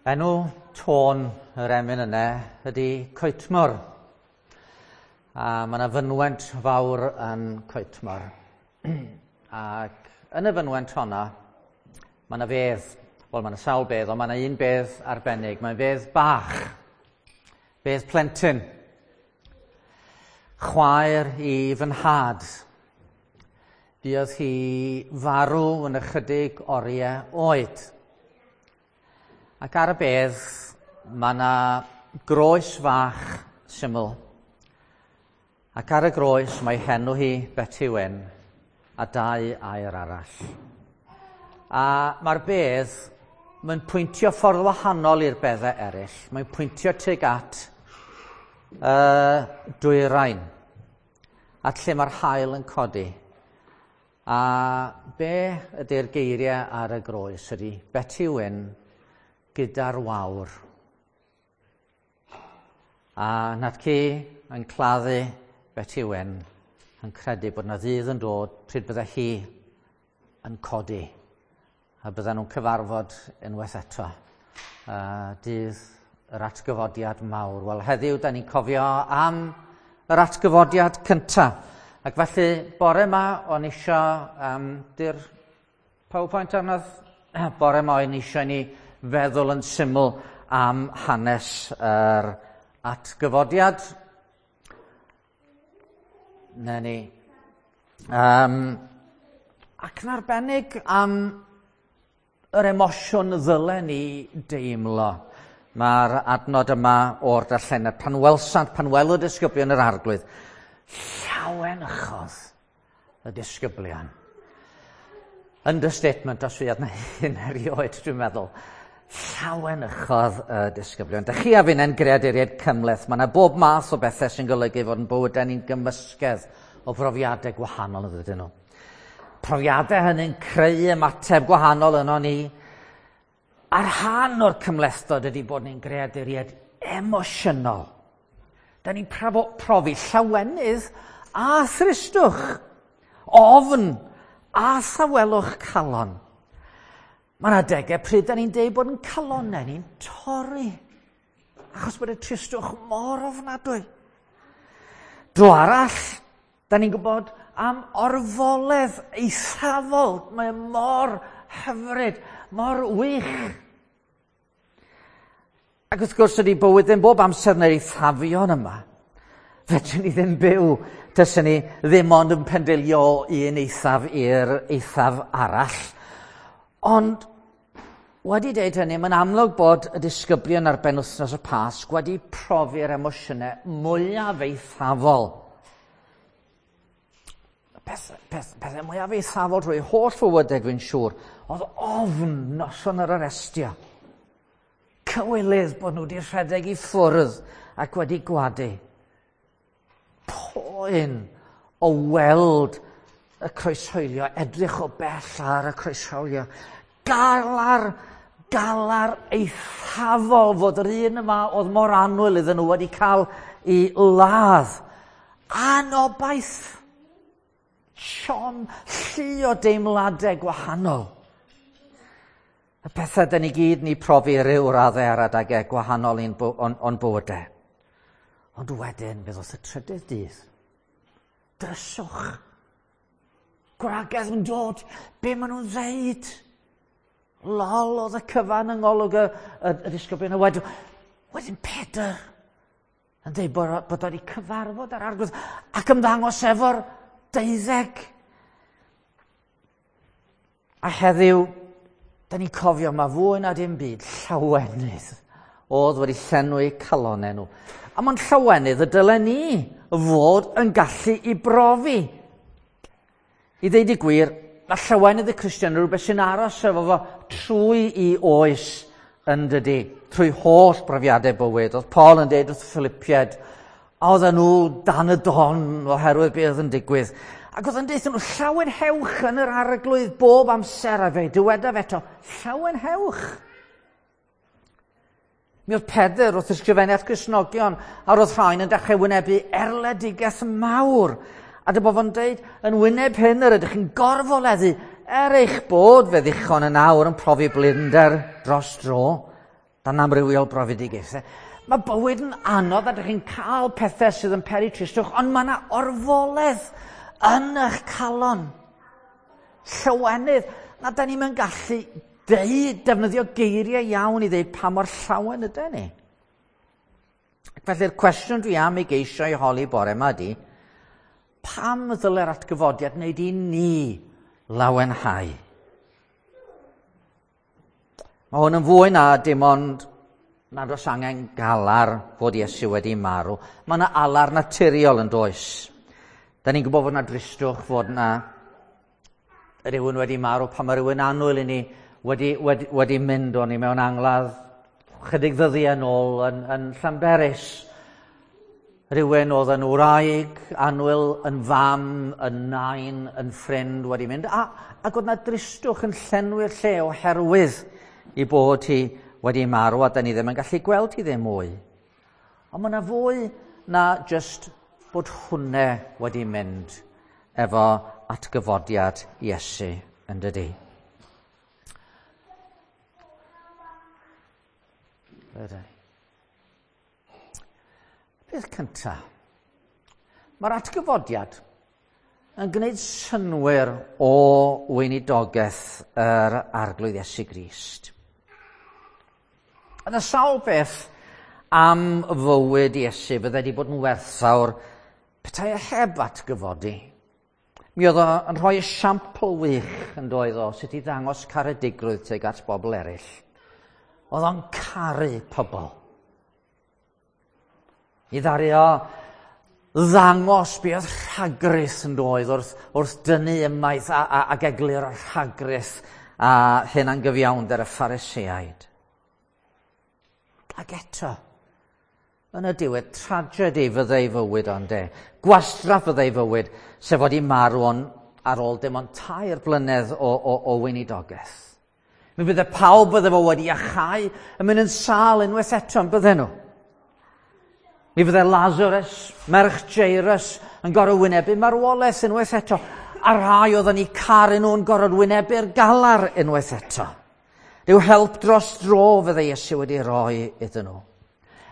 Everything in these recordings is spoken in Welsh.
Enw tôn yr emyn yna ydy Coetmor. A mae yna fynwent fawr yn Coetmor. Ac yn y fynwent honna, mae yna fedd. Wel, mae yna sawl bedd, ond mae yna un bedd arbennig. Mae'n fedd bach. Bedd plentyn. Chwaer i fy nhad. Buodd hi farw yn ychydig oriau oed. Ac ar y bedd, mae yna groes fach syml. Ac ar y groes mae henw hi Betty Wyn a dau air arall. A mae'r bedd, mae'n pwyntio ffordd wahanol i'r beddau eraill. Mae'n pwyntio tuag at dwyrain, at lle mae'r haul yn codi. A be ydy'r geiriau ar y groes ydy Betty Wyn gyda'r wawr. A Natci yn claddu Betty Wyn yn credu bod yna ddydd yn dod pryd bydde hi yn codi a bydden nhw'n cyfarfod unwaith eto. Dydd yr atgyfodiad mawr. Wel, heddiw, da ni'n cofio am yr atgyfodiad cyntaf. Ac felly, bore yma, o'n isio, di'r PowerPoint arnodd, bore yma o'n isio ni feddwl yn syml am hanes yr atgyfodiad. Na ni. Ac yn arbennig am yr emosiwn ddylen ni deimlo. Mae'r adnod yma o'r darlleniad. Pan welsant, pan welodd disgyblion yr arglwydd, llawenychodd y disgyblion. Understatement os fydd na hyn erioed, dwi'n meddwl. Llawenychodd y disgyblion. Dych chi a finnau'n greaduriaid cymhleth. Mae yna bob math o bethau sy'n golygu fod yn bywydau ni'n gymysgedd o brofiadau gwahanol yn ydyn nhw. Profiadau hynny'n creu ymateb gwahanol yno ni. A rhan o'r cymhlethdod ydy bod ni'n greaduriaid emosiynol. Da ni'n profi llawenydd a thristwch, ofn a thawelwch calon. Mae yna adegau pryd da ni'n deud bod yn calonnau ni'n torri, achos bod y tristwch mor ofnadwy. Dro arall, da ni'n gwybod am orfoledd eithafol. Mae mor hyfryd, mor wych. Ac wrth gwrs ydy bywyd ddim bob amser yn yr eithafion yma. Fedrwn ni ddim byw tyswn ni ddim ond yn pendilio o un eithaf i'r eithaf arall. Ond wedi deud hynny, mae'n amlwg bod y disgyblion ar benwythnos y Pasg wedi profi'r emosiynau mwyaf eithafol. Pethau mwyaf eithafol drwy holl fywydau, dwi'n siŵr, oedd ofn noson yr arestio. Cywilydd bod nhw wedi rhedeg i ffwrdd ac wedi gwadu. Poen o weld y croeshoelio, edrych o bell ar y croeshoelio. Galar, galar eithafol fod yr un yma oedd mor annwyl iddyn nhw wedi cael ei ladd. Anobaith. Siom, llu o deimladau gwahanol. Y pethau dyn ni gyd ni profi ryw raddau ar adegau gwahanol i'n o'n bywydau. Ond wedyn, fe ddoth y trydydd dydd. Dryswch. Gwragedd yn dod. Be maen nhw'n ddeud? Lol oedd y cyfan yng ngolwg y disgyblion. A wedyn Pedr yn dweud bod wedi cyfarfod ar arglwydd ac ymddangos efo'r 12. A heddiw, da ni'n cofio mae fwy na dim byd llawenydd oedd wedi llenwi calonnau nhw. A mae'n llawenydd y dylen ni fod yn gallu i brofi. I ddeud y gwir, mae llawenydd y Cristion yn rhywbeth sy'n aros efo fo trwy i oes yn dydy, trwy holl brofiadau bywyd. Oedd Paul yn deud wrth y Philippiaid, a oedden nhw dan y don oherwydd beth oedd yn digwydd. Ac oedd yn deud nhw, llawenhewch yn yr arglwydd bob amser, a fe dywedaf eto, llawenhewch. Mi oedd Pedr wrth ysgrifennu at Gristnogion, a roedd rhain yn dechrau wynebu erledigaeth mawr. A dyma fo'n deud, yn wyneb hyn yr ydych chi'n gorfoleddu, er eich bod fe ddichon yn awr yn profi blinder dros dro. Dan amrywiol brofedigaethau. Mae bywyd yn anodd a dych chi'n cael pethau sydd yn peri tristwch, ond mae yna orfoledd yn eich calon. Llywenydd. Na, da ni'n mynd gallu deud, defnyddio geiriau iawn i ddeud pa mor llawen ydyn ni. Ac felly'r cwestiwn dwi am ei geisio i holi bore yma ydy, pam ddyle'r atgyfodiad wneud i ni lawenhau? Mae hwn yn fwy na dim ond nad oes angen galar fod Iesu wedi marw. Mae yna alar naturiol yn does. Da ni'n gwybod fod yna dristwch, fod yna rhywun wedi marw pan mae rhywun annwyl i ni wedi, wedi, wedi mynd o'n ni mewn angladd chydig ddyddiau yn ôl yn, yn Llanberis. Rhywun oedd yn wraig, annwyl, yn fam, yn nain, yn ffrind wedi mynd. A, ac oedd yna dristwch yn llenwi'r lle oherwydd i bod hi wedi marw a da ni ddim yn gallu gweld hi ddim mwy. Ond mae yna fwy na just bod hwnne wedi mynd efo atgyfodiad Iesu yn dydy. Ydy. Peth cyntaf, mae'r atgyfodiad yn gwneud synwyr o weinidogaeth yr Arglwydd Iesu Grist. Yna sawl beth am fywyd Iesu fydde wedi bod yn werthfawr petai e heb atgyfodi. Mi oedd o yn rhoi esiampl wych yn doedd o sut i ddangos caredigrwydd tuag at bobl eraill. Oedd o'n caru pobl. I ddaru o ddangos be oedd rhagrith yn doedd wrth, wrth dynnu ymaith a, a, ac eglur rhagrith a hunangyfiawnder y Phariseaid. Ac eto, yn y diwedd, tragedy fyddai fywyd ond de. Gwastraff fyddai fywyd, sef fod i marw on, ar ôl dim ond tair blynedd o, o, o weinidogaeth. Mi fydde pawb bydde fo wedi achau yn mynd yn sâl unwaith eto, yn bydde nhw. Mi fydde Lazarus, merch Jairus, yn gorfod wynebu marwolaeth unwaith eto. A rhai oedd yn eu caru nhw'n gorfod wynebu'r galar unwaith eto. Rhyw help dros dro fydde Iesu wedi rhoi iddyn nhw.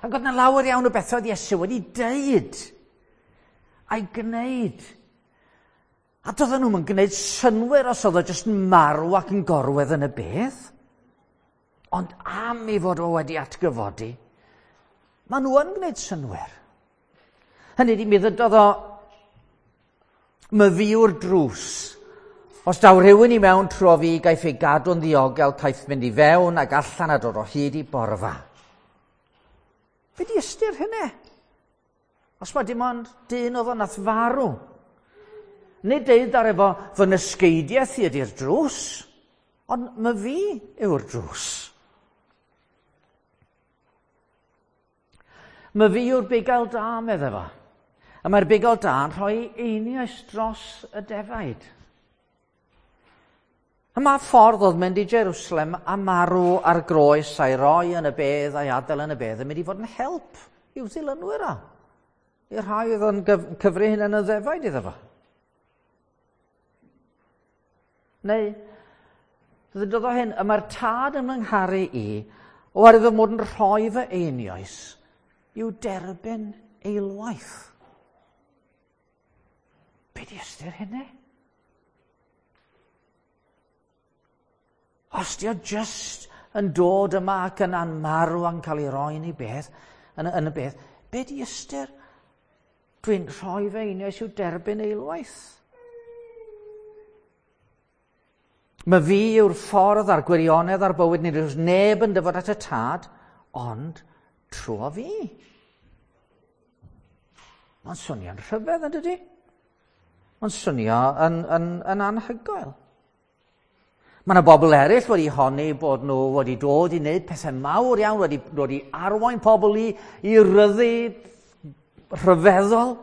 Ac oedd yna lawer iawn o bethau oedd Iesu wedi deud a'i gwneud. A doedden nhw'n gwneud synwyr os oedd o jyst yn marw ac yn gorwedd yn y bedd. Ond am ei fod o wedi atgyfodi, maen nhw yn gwneud synwyr. Hynny ydi, mi ddydodd o myfi yw'r drws. Os daw rhywun i mewn trwy fi, gaiff ei gadw'n ddiogel, caiff mynd i fewn ac allan a dod o hyd i borfa. Be di ystyr hynny? Os mae dim ond dyn oedd o nath farw. Nid deud ar efo fy nysgeidiaeth i ydy'r drws, ond my fi yw'r drws. My fi yw'r bugail da, medde fo. A mae'r bugail da yn rhoi einioes dros y defaid. A mae ffordd oedd mynd i Jerusalem a marw ar groes a'i roi yn y bedd a'i adael yn y bedd yn mynd i fod yn help i'w ddilynwyr o. I'r rhai oedd yn cyfri hynny'n y ddefaid iddo fo. Neu, ddydodd o hyn, y mae'r tad yn fy ngharu i, oherwydd fy mod yn rhoi fy einioes i'w derbyn eilwaith. Be di ystyr hynny? Os di o just yn dod yma ac yn marw a'n cael ei roi yn ei beth, yn, yn y beth, be di ystyr? Dwi'n rhoi fe einioes i'w derbyn eilwaith. Mae fi yw'r ffordd a'r gwirionedd a'r bywyd, nid oes neb yn dyfod at y tad, ond trwy fi. Mae'n swnio'n rhyfedd yn dydy? Mae'n swnio yn, yn, yn anhygoel. Mae yna bobl eraill wedi honni bod nhw wedi dod i wneud pethau mawr iawn, wedi dod i arwain pobl i, i ryddid rhyfeddol.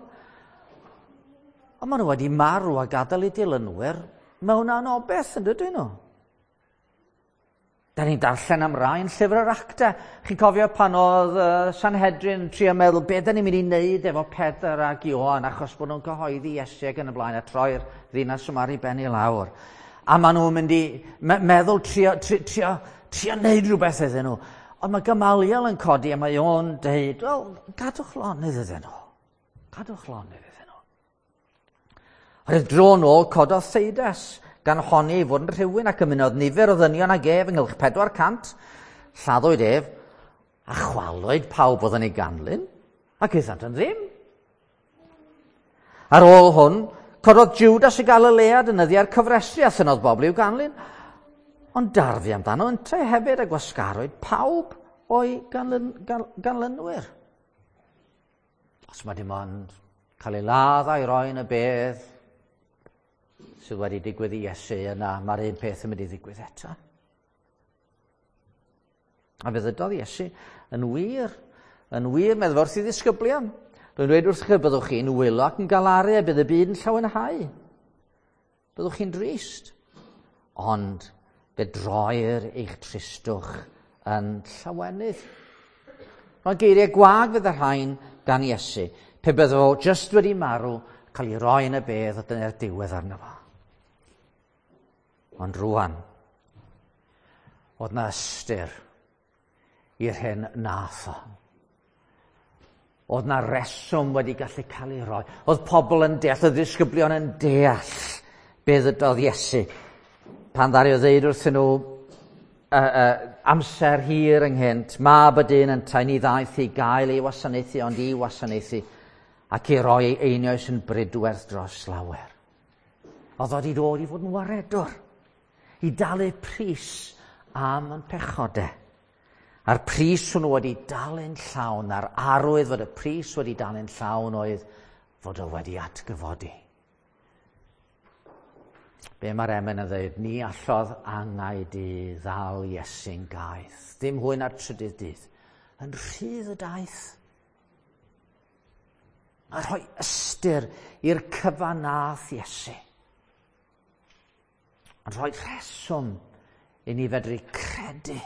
Ond maen nhw wedi marw a gadael eu dilynwyr mewn anobeth yn dydyn nhw. Da ni'n darllen am rai yn llyfr yr acta. Chi'n cofio pan oedd uh, Sanhedrin yn trio meddwl be da ni'n mynd i wneud efo Pedr ac Ioan achos bod nhw'n cyhoeddi Iesu ac yn y blaen a troi'r ddinas yma ar ei ben i lawr. A maen nhw'n mynd i meddwl trio, trio, trio, trio wneud rhywbeth iddyn nhw. Ond mae Gamaliel yn codi a mae o'n deud, wel, gadwch lonydd iddyn nhw. Gadwch lonydd iddyn nhw. Roedd dro nôl cododd Theudas, gan honni ei fod yn rhywun ac ymunodd nifer o ddynion ag ef ynghylch 400. Lladdwyd ef, a chwalwyd pawb oedd yn ei ganlyn, ac aethant yn ddim. Ar ôl hwn, cododd Judas y Galilead yn nyddiau'r cyfrestru a thynnodd bobl i'w ganlyn, ond darfu amdano yntau hefyd a gwasgarwyd pawb o'i ganlynwyr. Os mae dim ond cael ei ladd a'i roi yn y bedd sydd wedi digwydd i Iesu yna, mae'r un peth yn mynd i ddigwydd eto. A fe ddydodd Iesu, yn wir, yn wir, meddwl wrth i ddisgyblion. Rwy'n dweud wrthych chi, byddwch chi'n wylo ac yn galaru a bydd y byd yn llawenhau. Byddwch chi'n drist. Ond fe droir eich tristwch yn llawenydd. Roedd geiriau gwag fydd y rhain gan Iesu. Pe bydde fo jyst wedi marw, cael ei roi yn y bedd a dyna'r diwedd arno fo. Ond rwan, oedd na ystyr i'r hyn nath o. Oedd na reswm wedi gallu cael ei roi. Oedd pobl yn deall, oedd ddisgyblion yn deall be ddydodd Iesu. Pan ddaru o ddeud wrthyn nhw amser hir ynghynt, mab y dyn yntau ni ddaeth i gael ei wasanaethu, ond i wasanaethu ac i roi ei einioes yn bridwerth dros lawer. Oedd o wedi dod i fod yn waredwr, i dalu pris am yn pechodau. A'r pris hwnnw wedi dalu'n llawn, a'r arwydd fod y pris wedi dalu'n llawn oedd fod o wedi atgyfodi. Be mae'r emyn yn dweud? Ni allodd angau di ddal Iesu'n gaeth. Dim hwy na'r trydydd dydd. Yn rhydd y daith. A rhoi ystyr i'r cyfan nath Iesu. Yn rhoi rheswm i ni fedru credu.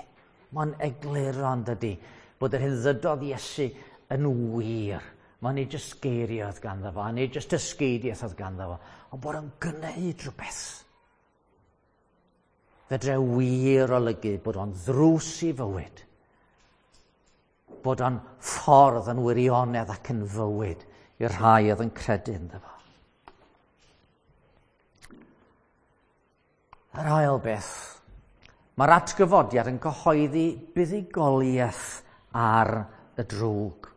Mae'n egluro yn dydy bod yr hyn ddydodd Iesu yn wir. Mae'n nid jyst geiriau oedd ganddo fo, a nid jyst dysgeidiaeth oedd ganddo fo, ond bod o'n gwneud rhywbeth. Fedre wir olygu bod o'n ddrws i fywyd. Bod o'n ffordd yn wirionedd ac yn fywyd i'r rhai oedd yn credu ynddo fo. Yr ail beth, mae'r atgyfodiad yn cyhoeddi buddugoliaeth ar y drwg.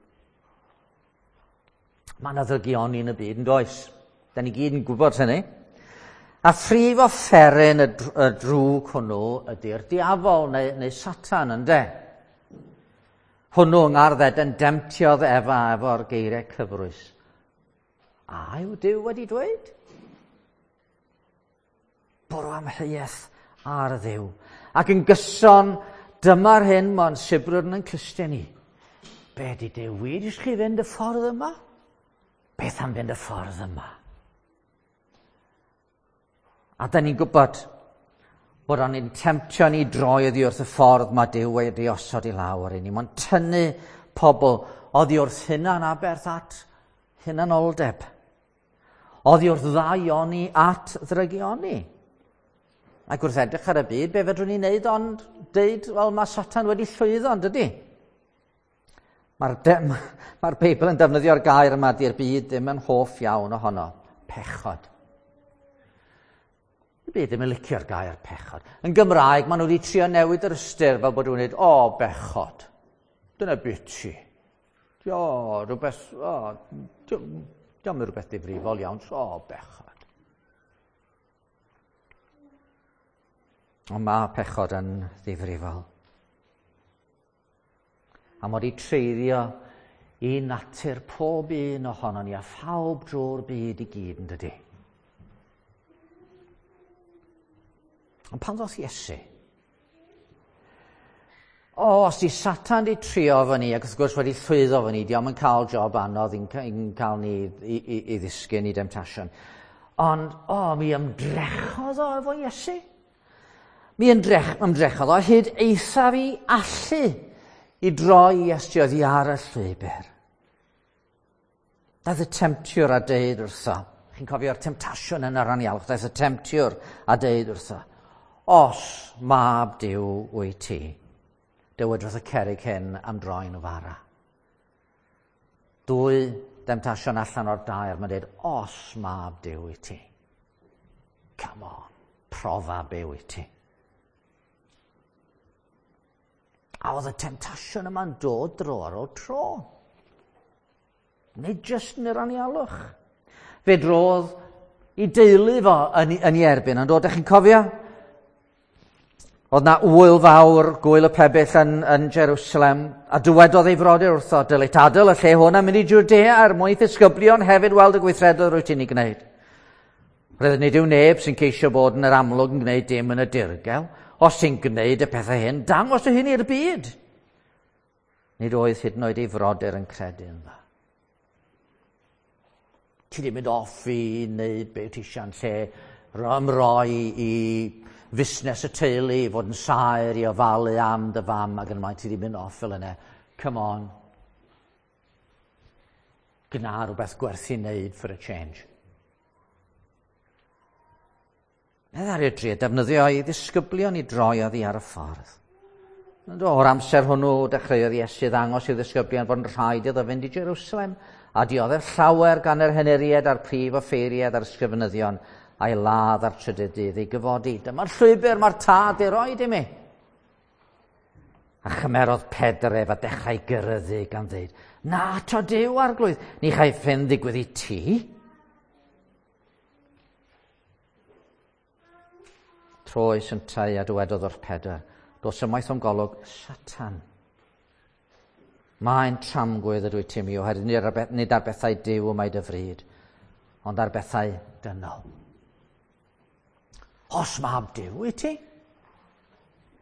Mae yna ddygioni yn y byd, yn does? Da ni gyd yn gwybod hynny. A phrif offeryn y drwg hwnnw ydy'r diafol neu Satan, ynde? Hwnnw yng Ngardd Eden demtiodd Efa efo'r geiriau cyfrwys. A yw Duw wedi dweud? Bwrw amheuaeth ar Dduw. Ac yn gyson, dyma'r hyn mae'n sibrwd yn clustiau ni. Be di Duw wir i chi fynd y ffordd yma? Beth am fynd y ffordd yma? A da ni'n gwybod bod o'n i'n temtio ni droi oddi wrth y ffordd mae Duw wedi osod i lawr i ni. Mae'n tynnu pobl oddi wrth hunan aberth at hunanoldeb. Oddi wrth ddaioni at ddrygioni. Ac wrth edrych ar y byd, be fedrwn ni wneud ond deud, wel, mae Satan wedi llwyddo, yn dydy? Mae'r mae Beibl yn defnyddio'r gair yma, di'r byd ddim yn hoff iawn ohono. Pechod. Y byd ddim yn licio'r gair pechod. Yn Gymraeg, maen nhw wedi trio newid yr ystyr fel bod nhw'n dweud, o, bechod. Dyna biti. O, rhywbeth, o, diolch yn rhywbeth difrifol iawn, o, bechod. Ond mae pechod yn ddifrifol. A mod i treiddio i natur pob un ohono ni a phawb drwy'r byd i gyd yn dydy. Ond pan ddoth Iesu? O, os di Satan di trio fo ni, ac wrth gwrs wedi llwyddo fo ni, di o'm yn cael job anodd i'n cael ni i ddisgyn i demtasiwn. Ond, o, mi ymdrechodd o efo Iesu. Mi ymdrechodd o hyd eithaf i allu i droi Iesu oddi ar y llwybr. Daeth y temtiwr a deud wrtho, chi'n cofio'r temtasiwn yn yr anialwch, daeth y temtiwr a deud wrtho, os mab Duw wyt ti, Dywed wrth y cerrig hyn am droi'n fara. Dwy demtasiwn allan o'r dair, mae'n dweud, os mab Duw i ti. Come on, profa byw i ti. A oedd y temtasiwn yma'n dod dro ar ôl tro. Nid jyst yn yr anialwch. Fe drodd i deulu fo yn ei erbyn, ond dod, chi'n cofio? Oedd na wyl fawr, gwyl y pebyll yn Jerusalem, a dywedodd ei frodyr wrtho, dylit adael y lle hwn a mynd i Judea er mwyn ddisgyblion hefyd weld y gweithredoedd rwyt ti'n ei gwneud. Roedd nid yw neb sy'n ceisio bod yn yr amlwg yn gwneud dim yn y dirgel. Os ti'n gwneud y pethau hyn, dangos y hyn i'r byd. Nid oedd hyd yn oed ei frodyr yn credu ynddo. Ti di mynd off i wneud beth ti eisiau'n lle ymroi i fusnes y teulu, i fod yn saer, i ofalu am dy fam ac yn ymlaen, ti di mynd off fel yna. Come on. Gwna rhywbeth gwerth i wneud for a change. Nid ar drio defnyddio ei ddisgyblion i droi oddi ar y ffordd. Ond o'r amser hwnnw dechreuodd Iesu ddangos i'w ddisgyblion fod yn rhaid iddo fynd i Jerusalem a dioddef llawer gan yr henuried a'r prif offeiriad a'r ysgrifenyddion a'i ladd ar trydydd dydd ei gyfodi. Dyma'r llwybr mae'r tad ei roed i mi. A chymerodd Pedr ef a dechrau gyryddu gan ddweud, na to Duw arglwydd, ni chaiff hyn ddigwydd i ti. Troes yntau a dywedodd wrth Pedr, dos ymaith o'm golwg, Satan. Mae'n tramgwydd ydw i ti mi, oherwydd nid ar bethau Duw y mae dy fryd, ond ar bethau dynol. Os mab Duw i ti,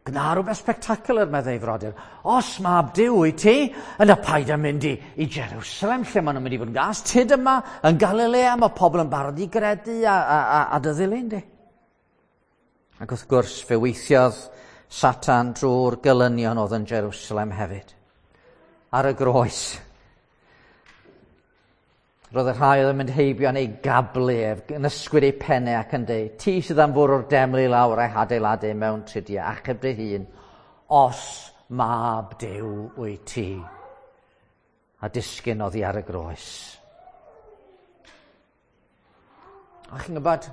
gwna rhywbeth spectacular, meddai frodyr. Os mab Duw i ti, yna paid â mynd i Jerusalem, lle maen nhw'n mynd i fod yn gas. Tyd yma, yn Galilea, mae pobl yn barod i gredu a dy ddilyn di. Ac wrth gwrs, fe weithiodd Satan drwy'r gelynion oedd yn Jerusalem hefyd. Ar y groes. Roedd y rhai oedd yn mynd heibio yn ei gablu ef, yn ysgwyd ei pennau ac yn dweud, ti sydd am fwrw'r deml i lawr a'i hadeiladu mewn tridiau, achub dy hun, os mab Duw wyt ti. A disgyn oddi ar y groes. A chi'n gwybod,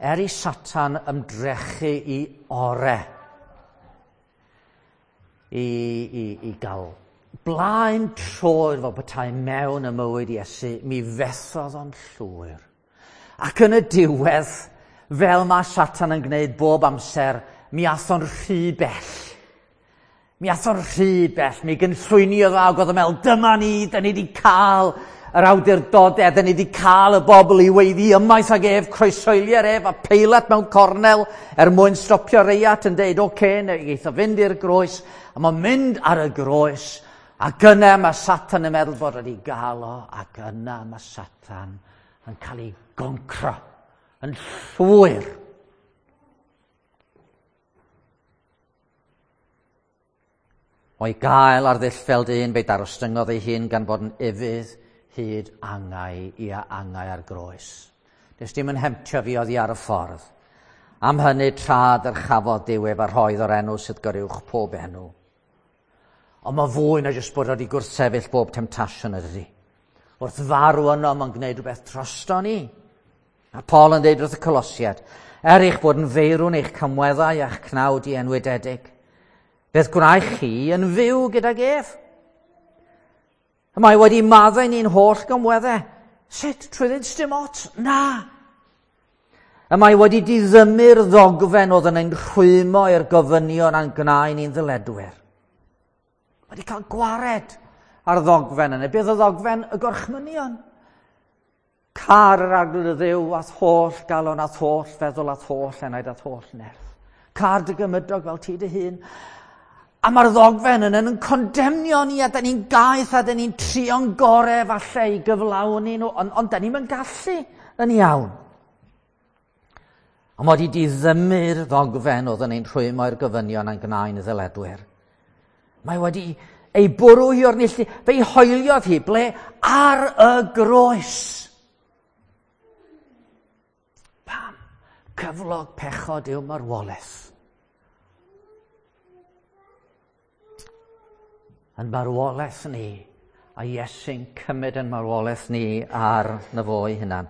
er i Satan ymdrechu i ore i gael blaen troed fel petai mewn y mywyd Iesu, mi fethodd o'n llwyr. Ac yn y diwedd, fel mae Satan yn gwneud bob amser, mi ath o'n rhy bell. Mi ath o'n rhy bell, mi gynllwyniodd o ac oedd yn meddwl, dyma ni, da ni wedi cael yr awdurdodau, da ni wedi cael y bobl i weiddi ymaith ag ef, croeshoelier ef a Peilat mewn cornel er mwyn stopio reiat yn deud, oce, neu eitha fynd i'r groes, a mae'n mynd ar y groes, ac yna mae Satan yn meddwl bod wedi gael o, ac yna mae Satan yn cael ei goncro, yn llwyr. O'i gael ar ddull fel dyn, fe darostyngodd ei hun gan fod yn ufudd hyd angau i a angau ar groes. Nes dim yn hemtio fi oddi ar y ffordd. Am hynny tra dyrchafodd Duw ef a rhoedd o'r enw sydd goruwch pob enw. Ond mae fwy na jyst bod wedi gwrthsefyll bob temtasiwn ydy. Wrth farw yno, mae'n gwneud rhywbeth drosto ni. A Paul yn dweud wrth y Colosiad, er eich bod yn feirw'n eich camweddau a'ch cnawd i enwydedig, beth gwnaech chi yn fyw gydag ef? Y mae wedi maddau ni'n holl gymweddau. Sut? Trwy ddweud dim ots? Na! Y mae wedi diddymu'r ddogfen oedd yn ein rhwymo i'r gofynion a'n gnau ni'n ddyledwyr. Mae wedi cael gwared ar ddogfen yna. Beth oedd ddogfen? Y gorchmynion. Car yr arglwydd y Dduw a'th holl galon, a'th holl feddwl, a'th holl enaid, a'th holl nerth. Car dy gymydog fel ti dy hun. A mae'r ddogfen yna yn condemnio ni, a da ni'n gaeth, a da ni'n trio'n gorau falle i gyflawni nhw, ond da ni'n gallu yn iawn. Ond mae wedi diddymu'r ddogfen oedd yn ein rhwymo i'r gofynion a'n gnau'n ddyledwyr. Mae wedi ei bwrw hi o'r neilltu, fe'i hoeliodd hi, ble? Ar y groes. Pam? Cyflog pechod yw marwolaeth. Yn marwolaeth ni, a Iesu'n cymryd yn marwolaeth ni ar na fo ei hunan.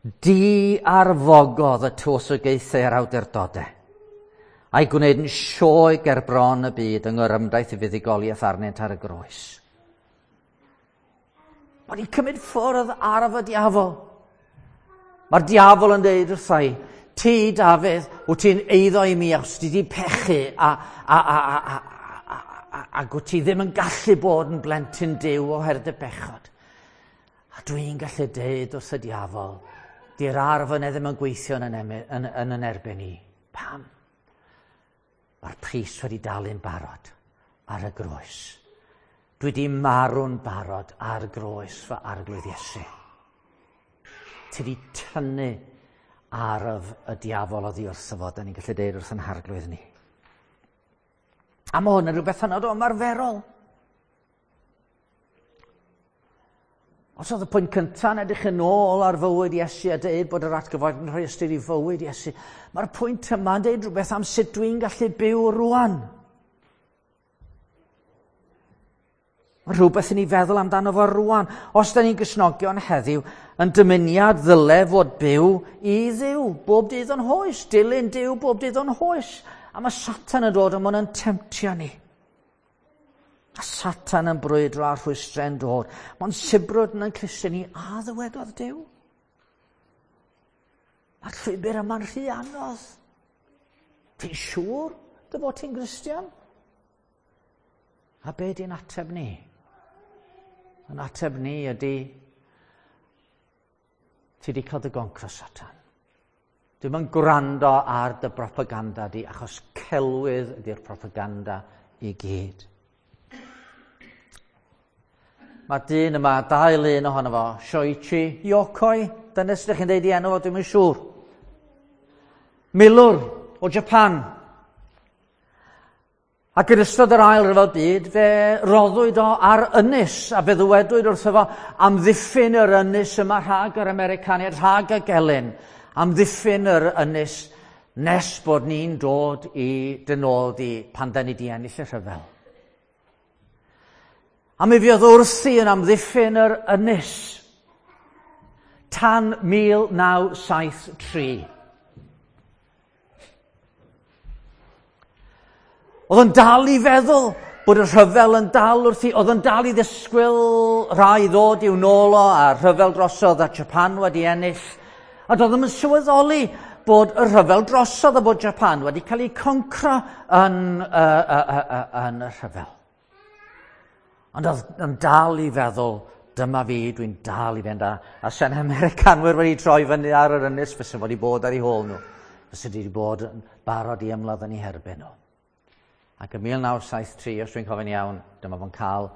Di arfogodd y tywysogaethau a'r awdurdodau, a'i gwneud yn sioe ger bron y byd yng ngorymdaith i fuddugoliaeth arnynt ar y groes. Mae wedi cymryd ffwrdd arf y diafol. Mae'r diafol yn dweud wrtha i, ti, Dafydd, wyt ti'n eiddo i mi achos ti wedi pechu a, a, a, a, a, a, a, ac wyt ti ddim yn gallu bod yn blentyn Duw oherwydd dy bechod. A dwi'n gallu deud wrth y diafol, di'r arf yna ddim yn gweithio yn, yn, yn, yn, yn erbyn i. Pam? Mae'r pris wedi dalu'n barod ar y groes. Dwi wedi marw'n barod ar groes fy arglwydd Iesu. Ti wedi tynnu arf y diafol oddi wrtho fo, da ni'n gallu deud wrth yn harglwydd ni. A mae hwn yn rhywbeth hynod o ymarferol. Os oedd y pwynt cyntaf yn edrych yn ôl ar fywyd Iesu a dweud bod yr atgyfod yn rhoi ystyr i fywyd Iesu, mae'r pwynt yma'n dweud rhywbeth am sut dwi'n gallu byw rwan. Mae rhywbeth i ni feddwl amdano fo rwan. Os da ni'n gysnogion heddiw, yn dymuniad ddyle fod byw i Dduw bob dydd o'n hoes, dilyn Duw bob dydd o'n hoes. A mae Satan yn dod a mae'n temtio ni. A Satan yn brwydro a rhwystrau'n dod. Mae'n sibrwd yn ein clustiau ni, a ddywedodd Duw. Mae'r llwybr yma'n rhy anodd. Ti'n siŵr dy fod ti'n Gristion? A be di'n ateb ni? Yn ateb ni ydy, ti di cael dy goncro, Satan. Dwi'm yn gwrando ar dy propaganda di, achos celwydd ydy'r propaganda i gyd. Mae'r dyn yma, dau lun ohono fo, Shoichi Yokoi, dyna sut ydych chi'n deud i enw fo, dwi'm yn siŵr. Milwr o Japan. Ac yn ystod yr ail ryfel byd, fe roddwyd o ar ynys, a fe ddywedwyd wrtho fo amddiffyn yr ynys yma rhag yr Americaniaid, rhag y gelyn, amddiffyn yr ynys nes bod ni'n dod i dy nôl di pan da ni di ennill y rhyfel. A mi fuodd wrthi yn amddiffyn yr ynys tan 1973. Oedd o'n dal i feddwl bod y rhyfel yn dal wrthi, oedd o'n dal i ddisgwyl rhai ddod i'w nôl o, a rhyfel drosodd a Japan wedi ennill. A doedd ddim yn sylweddoli bod y rhyfel drosodd a bod Japan wedi cael ei concro yn, yn y rhyfel. Ond oedd yn dal i feddwl, dyma fi, dwi'n dal i fynd a, a sen Americanwyr wedi troi fyny ar yr ynys, fysa wedi bod ar eu hôl nhw. Fysa wedi bod yn barod i ymladd yn eu herbyn nhw. Ac yn 1973, os dwi'n cofio'n iawn, dyma fo'n cael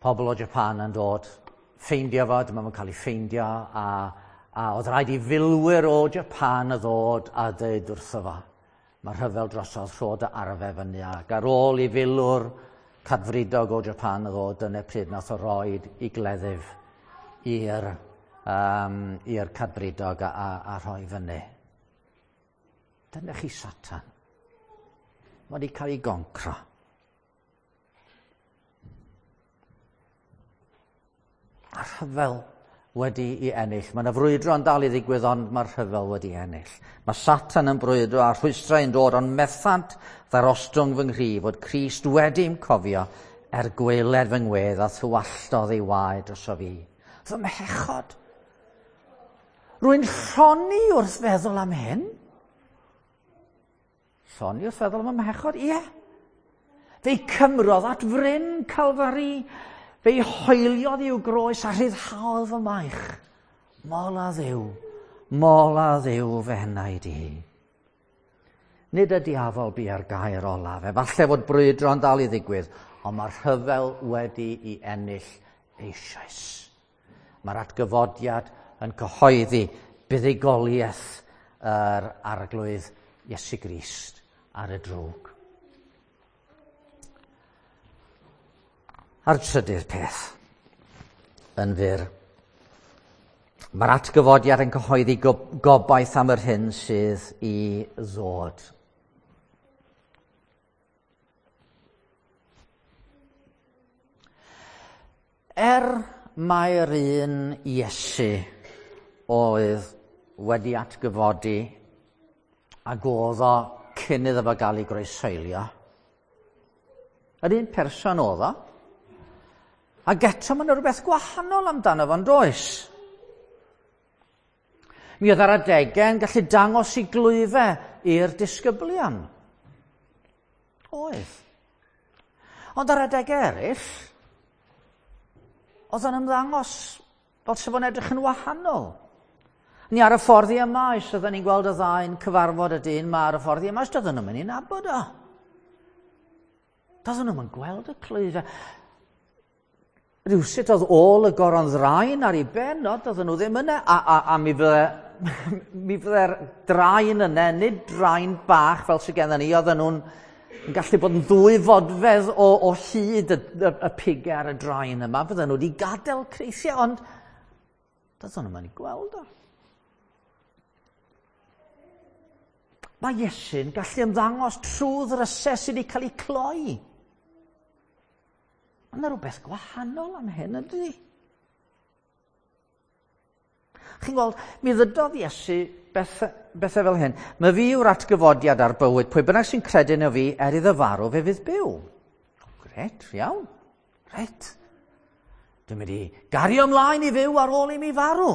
pobl o Japan yn dod ffeindio fo, dyma fo'n cael ei ffeindio, a, a oedd rhaid i filwyr o Japan y ddod a dweud wrtho fo. Mae rhyfel drosodd rho dy arfe fyny ac ar ôl i filwr cadfridog o Japan y ddod, dyna pryd nath o roed i gleddyf i'r um, i'r cadfridog a, a, a rhoi fyny. Dyna chi Satan. Mae wedi cael ei goncro. A rhyfel wedi ei ennill. Mae yna frwydro yn dal i ddigwydd, ond mae'r rhyfel wedi ennill. Mae Satan yn brwydro a rhwystrau yn dod, ond methant ddarostwng fy nghri fod Crist wedi'm cofio er gwaeled fy ngwedd a thywalltodd ei waed drosof fi. Fy mhechod. Rwy'n llonni wrth feddwl am hyn. Llonni wrth feddwl am y mhechod? Ie. Fe'i cymrodd at fryn Calfari. Fe'i hoeliodd i'w groes a rhyddhaodd fy maich. Mol a Dduw, mol a Dduw fy enaid i. Nid y diafol bu ar gair olaf. Efallai fod brwydro'n dal i ddigwydd, ond mae'r rhyfel wedi i ennill eisoes. Mae'r atgyfodiad yn cyhoeddi buddugoliaeth yr arglwydd Iesu Grist ar y drwg. A'r trydydd peth, yn fyr, mae'r atgyfodiad yn cyhoeddi gobaith am yr hyn sydd i ddod. Er mai'r un Iesu oedd wedi atgyfodi ac oedd o cyn iddo fo gael ei groeshoelio, yr un person oedd o, ac eto mae yna rhywbeth gwahanol amdano fo'n does? Mi oedd ar adegau yn gallu dangos i glwyfau i'r disgyblion. Oedd. Ond ar adegau eraill, oedd o'n ymddangos fel sef o'n edrych yn wahanol. Ni ar y ffordd i Emaus, oedden ni'n gweld y ddau'n cyfarfod y dyn ma ar y ffordd i Emaus, doedden nhw'n mynd i nabod o. Doedden nhw'n gweld y clwyfau. Rhywsut oedd ôl y goron ddraen ar ei ben, o, doedden nhw ddim yna, a mi fydde'r draen yna, nid draen bach fel sydd gennym ni, oedden nhw'n yn gallu bod yn ddwy fodfedd o hyd y pigau ar y draen yma, fydden nhw wedi gadael creithiau, ond doedden nhw'n mynd i gweld o. Mae Iesu'n gallu ymddangos trwy ddrysau sydd wedi cael eu cloi. Mae yna rhywbeth gwahanol am hyn, ydy? Chi'n gweld, mi ddydodd Iesu bethau fel hyn. Mae fi yw'r atgyfodiad a'r bywyd. Pwy bynnag sy'n credu yno fi, er iddo farw, fe fydd byw. Gret, iawn. Reit. Dwi'n mynd i gario ymlaen i fyw ar ôl i mi farw.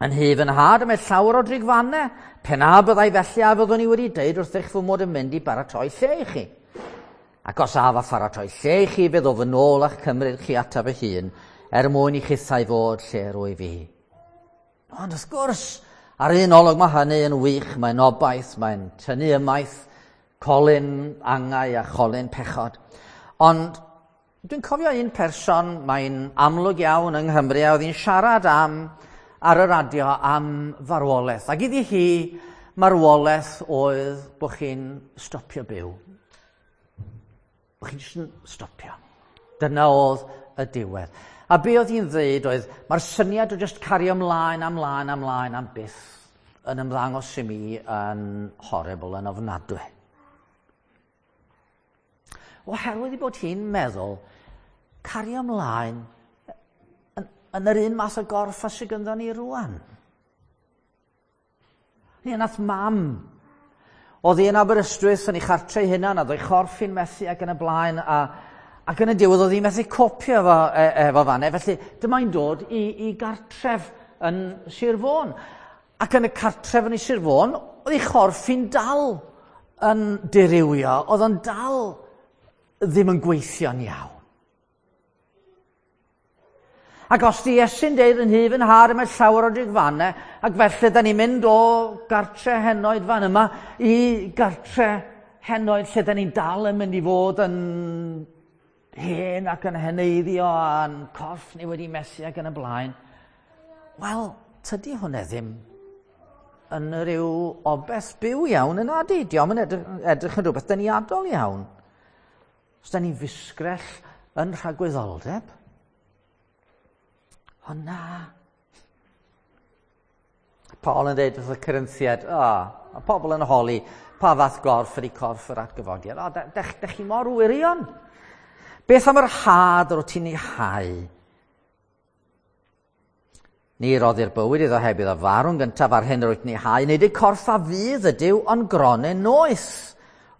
Yn hy fy nhad y mae llawer o drigfannau. Pe na byddai felly a fyddwn i wedi deud wrthych fy mod yn mynd i baratoi lle i chi. Ac os af a pharatoi lle i chi, fe ddof yn ôl a'ch cymryd chi ataf fy hun, er mwyn i chithau fod lle rwy fi. Ond wrth gwrs, ar un olwg mae hynny yn wych, mae'n obaith, mae'n tynnu ymaith colyn angau a cholyn pechod. Ond dwi'n cofio un person, mae'n amlwg iawn yng Nghymru, a oedd hi'n siarad am ar y radio am farwolaeth. Ac iddi hi, marwolaeth oedd bod chi'n stopio byw. Bod chi'n jyst yn stopio. Dyna oedd y diwedd. A be oedd hi'n dweud oedd, mae'r syniad o jyst cario ymlaen, ymlaen, ymlaen am byth yn ymddangos i mi yn horrible, yn ofnadwy. Oherwydd ei bod hi'n meddwl, cario ymlaen yn yr un math o gorff a sydd gynddon ni rwan. Ni nath mam. Oedd hi yn Aberystwyth yn ei chartre ei hunan, a oedd ei chorff hi'n methu ac yn y blaen, ac yn y diwedd oedd hi'n methu copio efo fanne. Felly dyma hi'n dod i gartref yn Sir Fôn. Ac yn y cartref yn Sir Fôn, oedd ei chorff hi'n dal yn dirywio, oedd o'n dal ddim yn gweithio'n iawn. Ac os di Iesu'n deud yn hy fy nhad, mae llawer o drigfannau, ac felly da ni'n mynd o gartre henoed fan yma i gartre henoed lle da ni'n dal yn mynd i fod yn hen ac yn heneiddio a'n corff ni wedi methu ac yn y blaen. Wel, tydi hwnna ddim yn rhyw obeth byw iawn yn adi. Dio'm yn edrych yn rhywbeth deniadol iawn. Os da ni'n fusgrell yn rhagwyddoldeb, o na. Paul yn dweud wrth y Corinthiaid, a pobl yn holi, pa fath gorff ydy corff yr atgyfodiad? O, dech chi mor wirion. Beth am yr had yr wyt ti'n ei hau? Ni roddi'r bywyd iddo heb iddo farw'n gyntaf ar hyn yr wyt ti'n ei hau, nid y corff a fydd ydyw, ond gronyn noeth.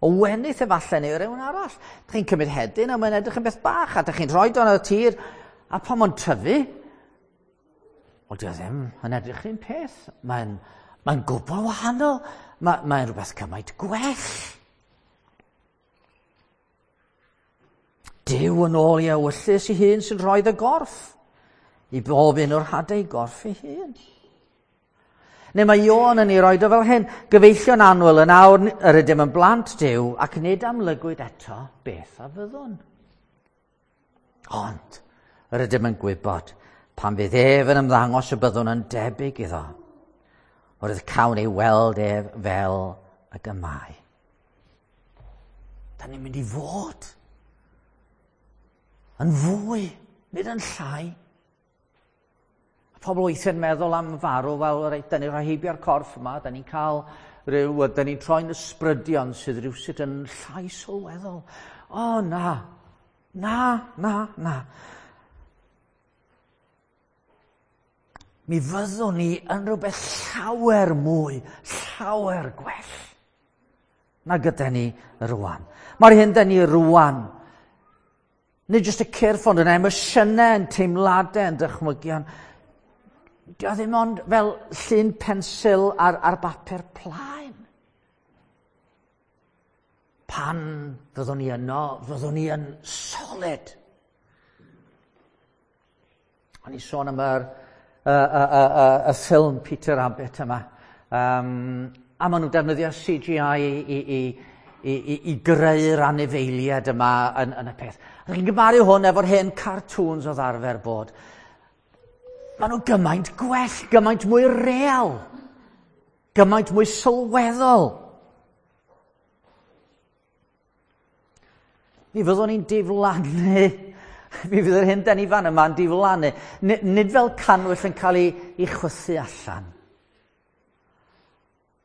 O wenith efallai neu rhywun arall. Dych chi'n cymryd hedyn a mae'n edrych yn beth bach, a dych chi'n rhoi o yn y tir, a pan mae'n tyfu, wel, dio ddim yn edrych un peth. Mae'n gwbl wahanol. Mae'n rhywbeth cymaint gwell. Duw yn ôl i ewyllys ei hun sy'n rhoi y gorff. I bob un o'r hadau gorff ei hun. Neu mae Ioan yn ei roed o fel hyn, gyfeillion annwyl yn awr yr ydym yn blant Duw ac nid amlygwyd eto beth a fyddwn. Ond yr ydym yn gwybod pan fydd ef yn ymddangos y byddwn yn debyg iddo, oherwydd cawn ei weld ef fel ag y mae. Da ni'n mynd i fod yn fwy, nid yn llai. Pobl weithiau'n meddwl am farw, wel, reit, da ni'n rhoi heibio'r corff yma, da ni'n cael rhyw, da ni'n troi'n ysbrydion sydd rhywsut yn llai sylweddol. O, na, na, na, na. Mi fyddwn ni yn rhywbeth llawer mwy, llawer gwell na gyda ni rwan. Mae'r hyn da ni rwan, nid jyst y cyrff ond yn emosiynau, yn teimladau, yn dychmygion. Dio ddim ond fel llun pensil ar bapur plaen. Pan fyddwn ni yno, fyddwn ni yn solid. O'n i sôn am y ffilm Peter Rabbit yma. A maen nhw'n defnyddio CGI i greu'r anifeiliaid yma yn y peth. A chi'n gymaru hwn efo'r hen cartoons oedd arfer bod. Maen nhw gymaint gwell, gymaint mwy real, gymaint mwy sylweddol. Mi fyddwn ni'n diflannu, mi fydd yr hyn da ni fan yma'n diflannu. Nid fel cannwyll yn cael ei chwythu allan.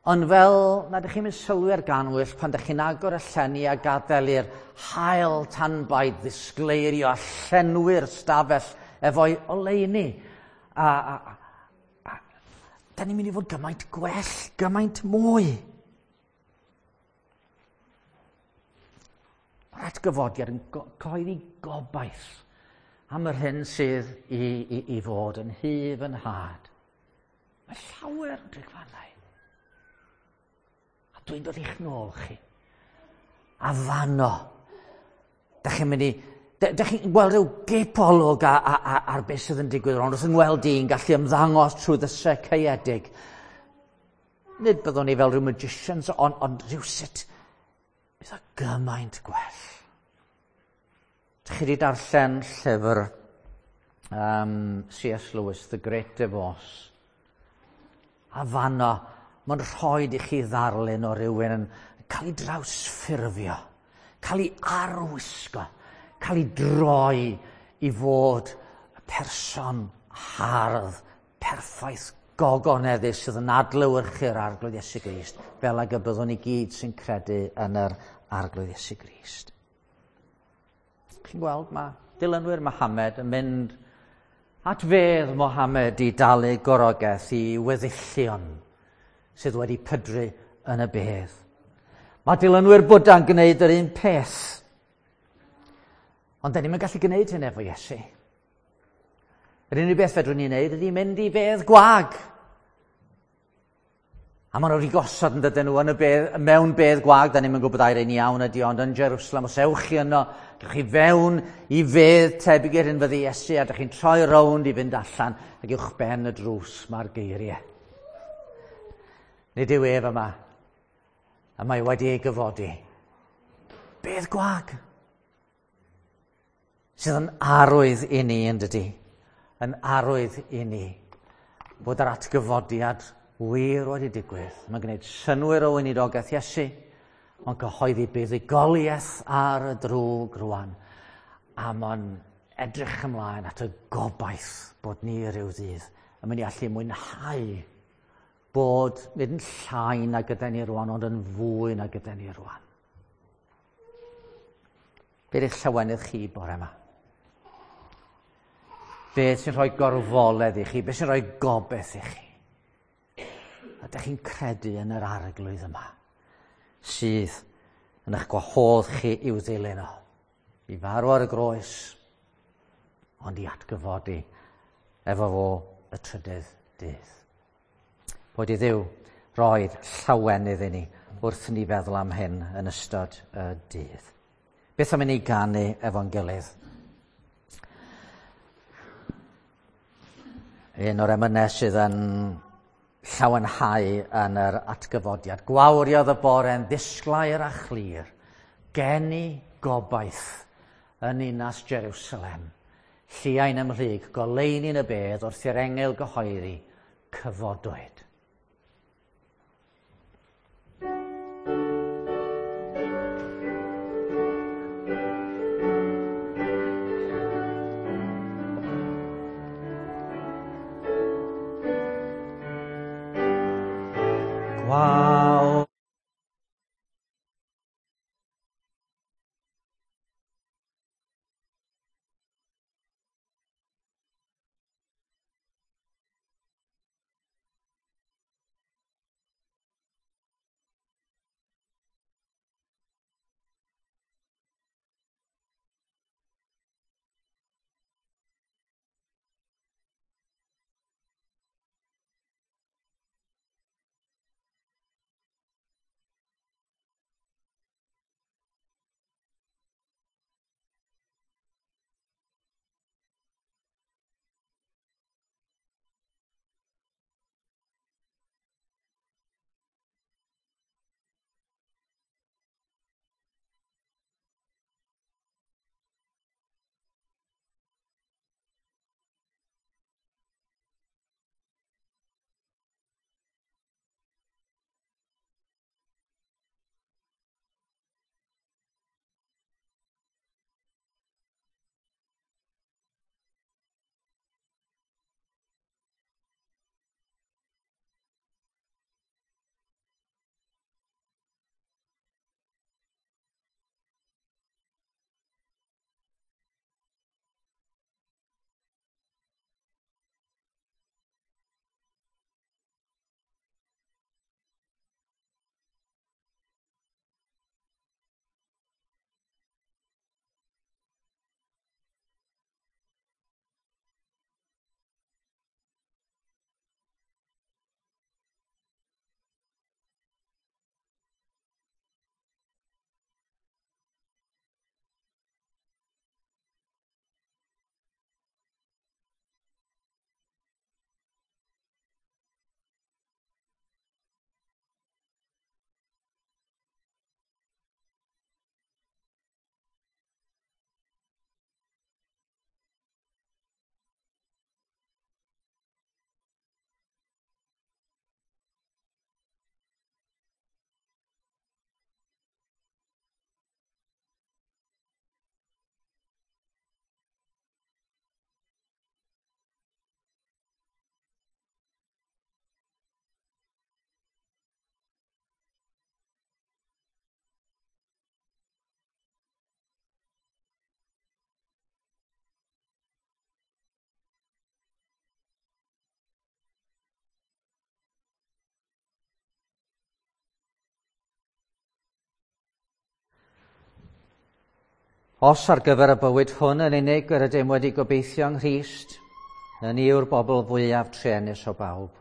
Ond fel nad ydych chi'n mynd sylwi ar ganwyll pan ydych chi'n agor y llenni a gadael i'r haul tanbaid ddisgleirio a llenwi'r stafell efo'i oleuni. A da ni'n mynd i fod gymaint gwell, gymaint mwy. Mae'r atgyfodiad yn cyhoeddi gobaith am yr hyn sydd i fod yn hyf yn nhad. Mae llawer o drigfannau. A dwi'n dod i'ch nôl chi. A fanno, da chi'n mynd i... Da chi'n gweld rhyw gipolwg ar beth sydd yn digwydd rownd. Wrth yng ngweld i'n gallu ymddangos trwy ddysau caeedig. Nid byddwn ni fel rhyw magicians, ond rhywsut bydd o gymaint gwell. Dych chi wedi darllen llyfr C.S. Lewis, The Great Divorce. A fanno, mae'n rhoi i chi ddarlun o rywun yn cael ei drawsffurfio, cael ei arwisgo, cael ei droi i fod y person hardd, perffaith, gogoneddus sydd yn adlewyrchu'r Arglwydd Iesu Grist, fel ag y byddwn ni gyd sy'n credu yn yr Arglwydd Iesu Grist. Chi'n gweld, mae dilynwyr Mohammed yn mynd at fedd Mohammed i dalu gorogaeth i weddillion sydd wedi pydru yn y bedd. Mae dilynwyr Bwda'n gwneud yr un peth. Ond da ni'm yn gallu gwneud hyn efo Iesu. Yr unig beth fedrwn ni wneud ydy mynd i fedd gwag. A maen nhw wedi gosod yn dydyn nhw yn y bedd, mewn bedd gwag, da ni'm yn gwybod ai'r un iawn ydy, ond yn Jerusalem, os ewch chi yno, gewch chi fewn i fedd tebyg i'r un fyddi Iesu, a dych chi'n troi rownd i fynd allan, ac uwch ben y drws mae'r geiriau. Nid yw ef yma, a mae wedi ei gyfodi. Bedd gwag, sydd yn arwydd i ni, yn dydy, yn arwydd i ni, bod yr atgyfodiad wir wedi digwydd. Mae'n gwneud synnwyr o weinidogaeth Iesu, mae'n cyhoeddi buddugoliaeth ar y drwg rwan, a mae'n edrych ymlaen at y gobaith bod ni rhyw ddydd yn mynd i allu mwynhau bod nid yn llai na gyda ni rwan, ond yn fwy na gyda ni rwan. Be ydych llawenydd chi bore yma? Be sy'n rhoi gorfoledd i chi? Be sy'n rhoi gobaith i chi? Ydych chi'n credu yn yr Arglwydd yma sydd yn eich gwahodd chi i'w ddilyn o, i farw ar y groes, ond i atgyfodi efo fo y trydydd dydd. Boed i Dduw roed llawenydd i ni wrth ni feddwl am hyn yn ystod y dydd. Beth am i ni ganu efo'n gilydd? Un o'r emynau sydd yn llawenhau yn yr atgyfodiad. Gwawriodd y bore'n ddisglair a chlir, geni gobaith yn ninas Jerusalem. Lliain ymhlyg, goleuni'n y bedd wrth i'r engel gyhoeddi, cyfodwyd. Wow. Os ar gyfer y bywyd hwn yn unig yr ydym wedi gobeithio yng Nghrist, ni yw'r bobl fwyaf truenus o bawb.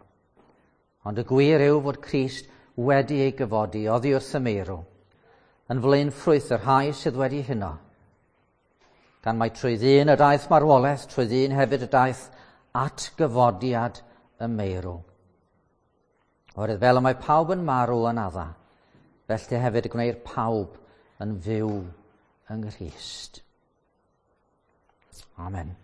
Ond y gwir yw fod Crist wedi ei gyfodi oddi wrth y meirw, yn flaenffrwyth y rhai sydd wedi huno. Gan mai trwy ddyn y daeth marwolaeth, trwy ddyn hefyd y daeth atgyfodiad y meirw. Oherwydd fel y mae pawb yn marw yn Adda, felly hefyd y gwneir pawb yn fyw yng Nghrist. Amen.